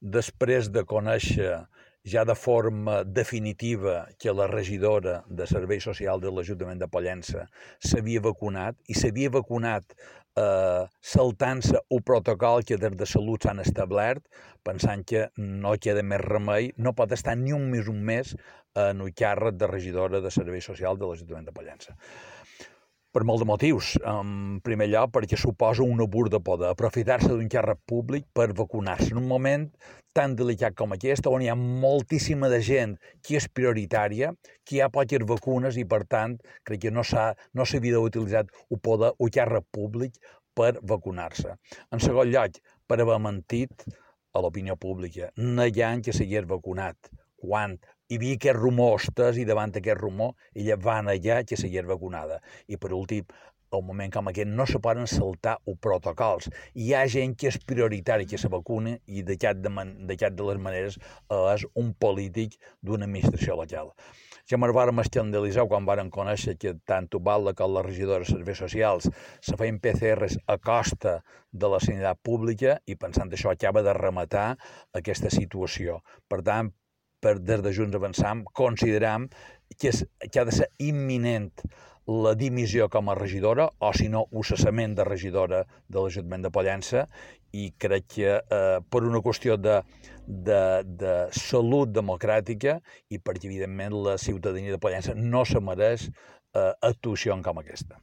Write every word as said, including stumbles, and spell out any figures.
després de conèixer ja de forma definitiva que la regidora de Serveis Socials de l'Ajuntament de Pollença s'havia vacunat i s'havia vacunat eh, saltant-se un protocol que des de Salut s'han establert, pensant que no queda més remei, no pot estar ni un mes un mes en el càrrec de regidora de Serveis Socials de l'Ajuntament de Pollença. Per molts de motius. En primer lloc, perquè suposa un abús de poder, aprofitar-se d'un càrrec públic per vacunar-se en un moment tan delicat com aquest, on hi ha moltíssima de gent que és prioritària, que hi ha poques vacunes i, per tant, crec que no s'ha no s'havia d'utilitzar el poder, el càrrec públic per vacunar-se. En segon lloc, per haver mentit a l'opinió pública, negant que s'hagués vacunat, quan hi havia aquests rumors estès i davant d'aquest rumor ella va negar que s'hagués vacunada. I per últim, en un moment com aquest no se poden saltar els protocols. Hi ha gent que és prioritari que se vacuna i de cap de, de, cap de les maneres és un polític d'una administració local. Ja ens vàrem escandalitzar quan vàrem conèixer que tant Ubalda com la regidora de Serveis Socials se feien P C Rs a costa de la sanitat pública i pensant això acaba de rematar aquesta situació. Per tant, per, des de Junts Avançam, consideram que, és, que ha de ser imminent la dimissió com a regidora, o si no, el cessament de regidora de l'Ajuntament de Pollença, i crec que eh, per una qüestió de, de, de salut democràtica i perquè, evidentment, la ciutadania de Pollença no se mereix eh, actuacions com aquesta.